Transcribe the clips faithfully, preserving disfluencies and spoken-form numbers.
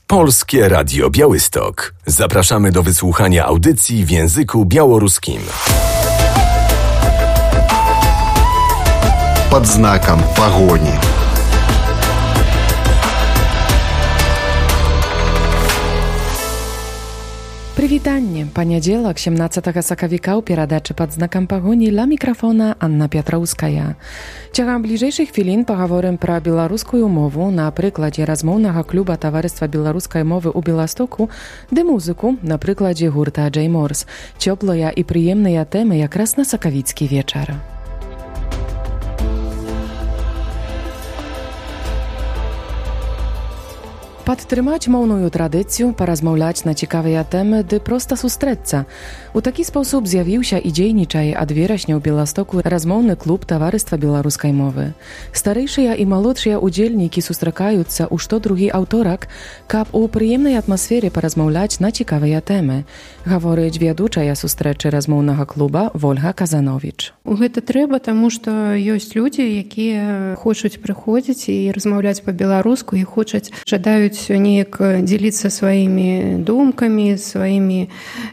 Polskie Radio Białystok. Zapraszamy do wysłuchania audycji w języku białoruskim. Pod znakiem pogoni. Прывітанне. Панядзелак, сямнаццатага сакавіка ў перадачы «Пад знакам пагоні» ля мікрафона Анна Пятроўская. Цягам бліжэйшых хвілін пагаворым пра беларускую мову на прыкладзе размоўнага клуба таварыства беларускай мовы ў Беластоку ды музыку на прыкладзе гурта Джей Морс. Цёплыя і прыемныя тэмы якраз на сакавіцкі вечар. Падтрымаць моўную традыцыю, паразмаўляць на цікавыя тэмы ды проста сустрэцца. У такі спосаб з'явіўся і дзейнічае ад верасня ў Беластоку размоўны клуб таварыства беларускай мовы. Старэйшыя і малодшыя удзельнікі сустракаюцца ў штодругі аўторак, каб у прыемнай атмасфере паразмаўляць на цікавыя тэмы. Гаворыць вядучая сустрэчы размоўнага клуба Вольга Казановіч. Гэта трэба, таму што ёсць людзі, якія хочуць прыходзіць і размаўляць па-беларуску і хочуць, жадаюць неяк дзеліцца сваімі думкамі, сваімі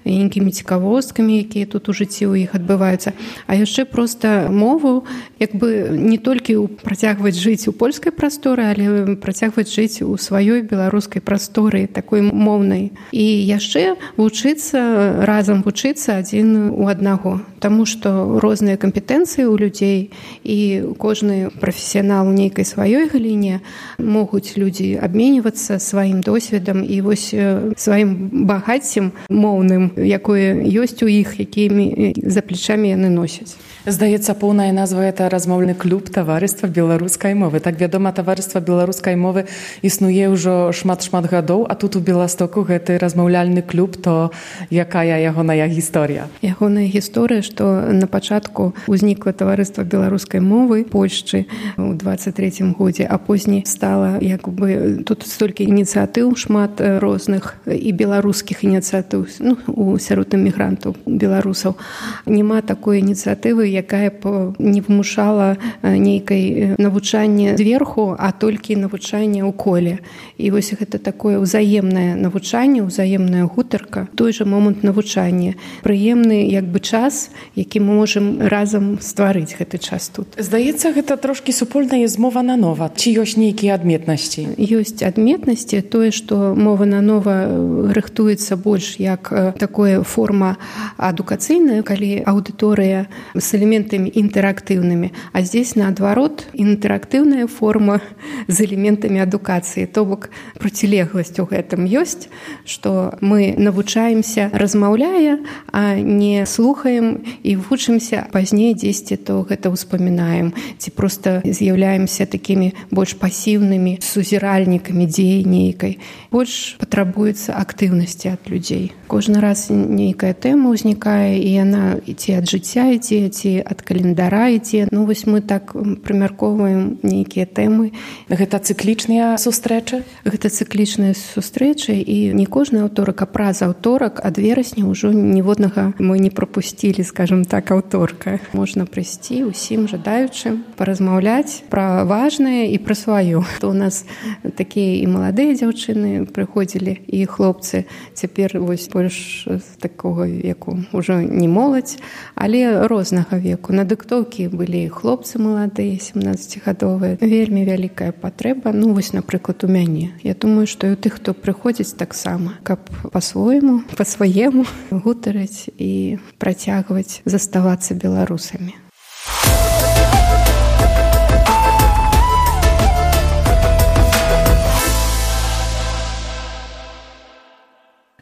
нейкімі цікавосткамі, якія тут у жыцці ў іх адбываюцца. А яшчэ проста мову як бы не толькі працягваць жыць у польскай прасторы, але працягваць жыць у сваёй беларускай прасторы, такой моўнай. І яшчэ вучыцца, разам вучыцца адзін у аднаго. Таму што розныя кампетэнцыі ў людзей і кожны прафесіянал у нейкай сваёй галіне могуць людзі абменьвацца сваім досведам і вось сваім багаццем моўным, якое ёсць у іх, якімі за плечамі яны носяць. Здаецца, поўная назва – это размоўны клуб таварыства беларускай мовы. Так вядома, таварыства беларускай мовы існуе ўжо шмат-шмат гадоў, а тут у Беластоку гэты размаўляльны клуб, то якая ягоная гісторыя? Ягоная гісторыя, што на пачатку ўзнікла таварыства беларускай мовы Польшчы ў дваццаць трэцім годзе, а позней стала як бы тут столькі ініцыятыў шмат розных і беларускіх ініцыятыў, ну, у сярод эмігрантаў беларусаў. Няма такой ініцыятывы, якая б не вымушала нейкай навучанне зверху, а толькі навучанне ў коле. І вось гэта такое ўзаемнае навучанне, ўзаемная гутарка, той жа момант навучання. Прыемны як бы час, які мы можам разам стварыць гэты час тут. Здаецца, гэта трошкі супольная змова на нова. Ці ёсць нейкія адметнасці? Ёсць адметнасці, тое, што мова на нова рыхтуецца больш як такая форма адукацыйная, калі аўдыторыя з элементамі інтэрактыўнымі, а здесь наадварот інтэрактыўная форма з элементамі адукацыі. То бок процілегласць у гэтым ёсць, што мы навучаемся размаўляя, а не слухаем і вучымся, пазней дзесьці то гэта ўспамінаем, ці проста з'яўляемся такімі больш пасіўнымі сузіральнікамі дзеі нейкай. Больш патрабуецца актыўнасці ад людзей. Кожны раз нейкая тэма ўзнікае, і яна ці ад жыцця ідзе, ці ад календара ідзе. Ну вось мы так прымяркоўваем нейкія тэмы. Гэта цыклічныя сустрэчы? Гэта цыклічныя сустрэчы, і не кожны аўторак, а праз аўторак ад верасня ўжо ніводнага мы не прапусцілі, скажем так, аўторка. Можна прыйсці усім жадаючым, паразмаўляць пра важнае і пра сваё. То у нас такія і маладыя дзяўчыны прыходзілі, і хлопцы. Цяпер вось больш з такога веку ўжо не моладзь, але рознага веку. На дыктоўкі былі хлопцы маладыя, семнаццацігадовыя. Вельмі вялікая патрэба. Ну вось, напрыклад, у мяне. Я думаю, што і у тых, хто прыходзіць таксама, каб па-свойму, па-сваему гутарыць і працягваць заставацца беларусамі.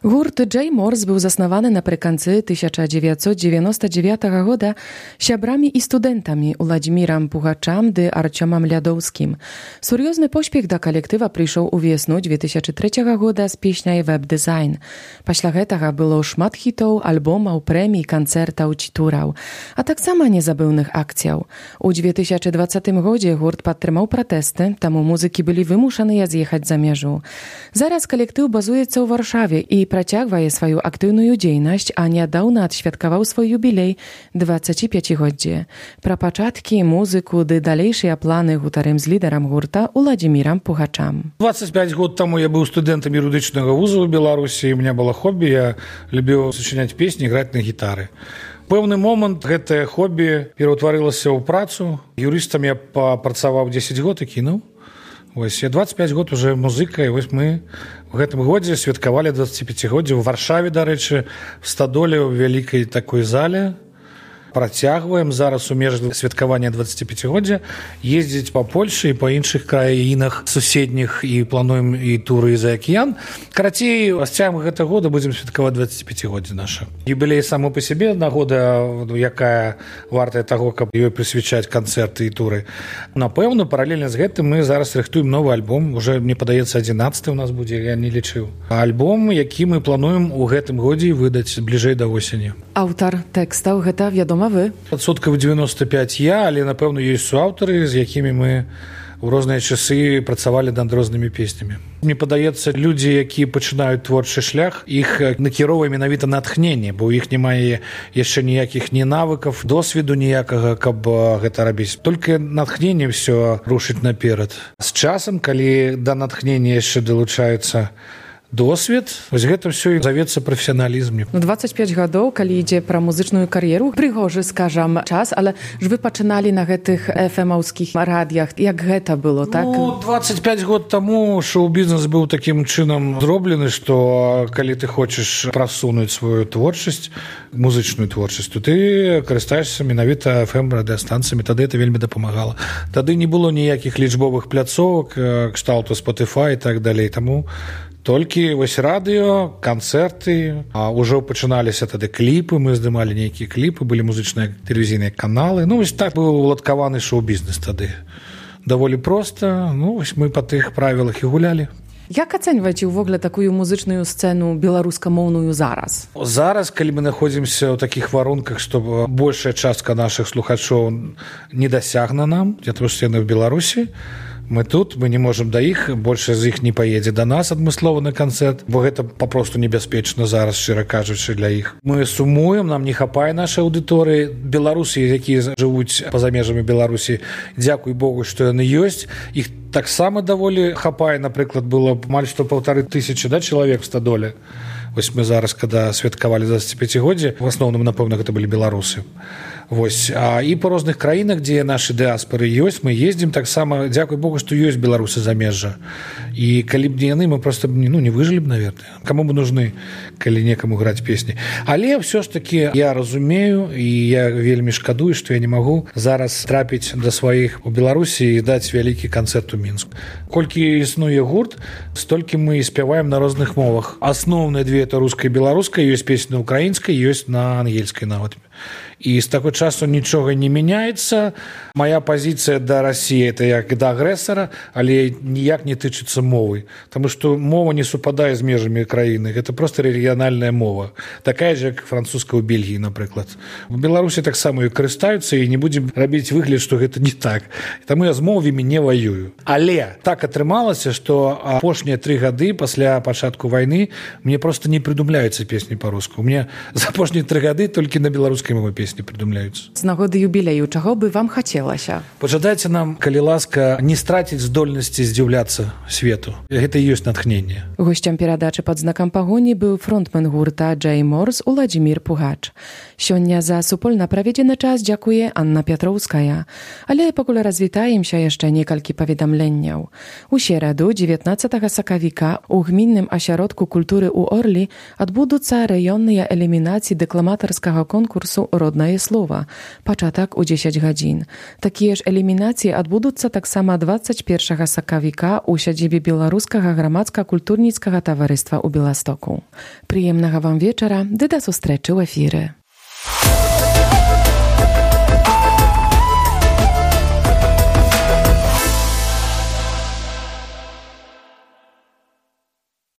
Гурт Джей Морс быў заснаваны напрыканцы тысяча дзевяцьсот дзевяноста дзевятага года сябрамі і студэнтамі Уладзімірам Пугачам ды Арцёмам Лядоўскім. Сур'ёзны поспех да калектыва прыйшоў у весну две тысячы трэцяга года з песняй «Веб-дызайн». Пасля гэтага было шмат хітоў, альбомаў, прэмій, канцэртаў ці тураў, а таксама незабыўных акцыяў. У две тысячы дваццатым годзе гурт падтрымаў пратэсты, таму музыкі былі вымушаныя з'ехаць за мяжу. Зараз калектыў базуецца ў Варшаве і працягвае сваю актыўную дзейнасць, а нядаўна адсвяткаваў свой юбілей дваццаціпяцігоддзе. Пра пачаткі, музыку ды далейшыя планы гутарым з лідарам гурта Уладзімірам Пугачам. двадцать пять год таму я быў студэнтам юрыдычнага вуза ў Беларусі, і у меня было хобі, я любіў сачыняць песні, граць на гітары. Пэўны момант гэтае хобі пераўтварылася ў працу. Юрыстам я папрацаваў дзесяць год і кінуў. Вось я двадцать пять год уже музыка, і вось мы в гэтым годзе святкавалі дваццаціпяцігоддзе ў Варшаве, дарэчы, в Стадоле, ў вялікай такой зале. Працягваем зараз у межах святкавання дваццаціпяцігоддзя ездзіць па Польшы і па іншых краінах суседніх, і плануем і туры за акіян. Карацей, з цягам гэтага года будзем святкаваць дваццаціпяцігоддзе наша. Юбілей самы па сябе нагода, якая вартая таго, каб ёй прысвячаць канцэрты і туры. Напэўна, паралельна з гэтым мы зараз рыхтуем новы альбом. Уже, мне падаецца, адзінаццаты у нас будзе, я не лічыў. Альбом, які мы плануем у гэтым годзе выдаць бліжэй да восені. Аўтар тэкстаў гэта, вядома, вы? Адсоткаў девяносто пять я, але, напэўна, ёсць суаўтары, з якімі мы ў розныя часы працавалі над рознымі песнямі. Мне падаецца, людзі, якія пачынаюць творчы шлях, іх накіроўвае менавіта натхненне, бо ў іх немае яшчэ ніякіх ні навыкаў, досведу ніякага, каб гэта рабіць. Толькі натхненне ўсё рушыць наперад. З часам, калі да натхнення яшчэ далучаецца досвед, вось гэта ўсё і завецца прафесіяналізм. Ну, двадцать пять гадоў, калі ідзе пра музычную кар'еру, прыгожы, скажам, час, але ж вы пачыналі на гэтых эф-эмаўскіх радыях. Як гэта было, так? Ну, двадцать пять год таму шоу-бізнес быў такім чынам зроблены, што калі ты хочаш прасунуць сваю творчасць, музычную творчасць, то ты карыстаешся менавіта эф-эм-радыастанцыямі. Тады это вельмі дапамагала. Тады не было ніякіх лічбовых пляцовак, кшталту Spotify і так далей. Таму толькі вось радыё, канцэрты, а ўжо пачыналіся тады кліпы, мы здымалі нейкія кліпы, былі музычныя тэлевізійныя каналы. Ну, вось так быў уладкаваны шоу-бізнес тады. Даволі проста, ну, вось мы па тых правілах і гулялі. Як ацэньваеце ўвогуле такую музычную сцэну беларускамоўную зараз? Зараз, калі мы находзімся ў такіх варунках, што большая частка нашых слухачоў недасягна нам, для того, што яны ў Беларусі, мы тут, мы не можам да іх, большая з іх не паедзе да нас адмыслова на канцэрт, бо гэта папросту небяспечна зараз, шчыра кажучы, для іх. Мы сумуем, нам не хапае нашай аўдыторыі. Беларусы, якія жывуць па-за межамі Беларусі, дзякуй Богу, што яны ёсць. Іх таксама даволі хапае, напрыклад, было амаль што паўтары тысячы, да, чалавек в Стадоле. Вось мы зараз, када святкавалі дваццаціпяцігоддзе, в асноўным, напэўна, гэта былі беларусы. Вось. А і па розных краінах, дзе нашы дыаспоры ёсць, мы ездзім таксама, дзякуй Богу, што ёсць беларусы замежжа. І калі б не яны, мы проста ну, не выжылі б, наверное. Каму бы нужны, калі некаму граць песні. Але ўсё ж такі я разумею, і я вельмі шкадую, што я не магу зараз трапіць да сваіх у Беларусі і даць вялікі канцэрт у Мінску. Колькі існуе гурт, столькі мы спяваем на розных мовах. Асноўныя две — это руская і беларуская, ёсць песні на украінскай, ёсць на ангельскай нават. І з таго часу нічога не мяняецца. Моя пазіцыя да Расіі — это як да агрэсара, але ніяк не тычыцца мовы. Таму што мова не супадае з межамі краіны. Гэта проста рэгіянальная мова. Такая ж, як французская ў Бельгіі, напрыклад. У Беларусі таксама і карыстаюцца, і не будзем рабіць выгляд, што гэта не так. Таму я з мовамі не ваюю. Але так атрымалася, што апошнія тры гады пасля пачатку вайны мне проста не прыдумляюцца песні па-руску. У мяне за апошнія тры гады толькі на беларускай мове песні прыдумляюцца. З нагоды юбілею, чаго бы вам хацелася? Пажадайце нам, калі ласка, не страціць здольнасці здзіўляцца свету. Гэта і ёсць натхненне. Госцем перадачы пад знакам пагоні быў фронтмен гурта Джей Морс Уладзімір Пугач. Сёння за супольна праведзены час дзякуе Анна Пятроўская. Але пакуль развітаемся яшчэ некалькі паведамленняў. У сераду дзевятнаццатага сакавіка ў гмінным асяродку культуры ў Орлі адбудуцца раённыя элімінацыі дэкламатарскага конкурсу «Роднае слова». Пачатак у дзесяць гадзін. Такія ж элімінацыі адбудуцца таксама дваццаць першага сакавіка ў сядзібе беларускага грамадска-культурніцкага таварыства ў Беластоку. Прыемнага вам вечара, ды да сустрэчы ў эфіры.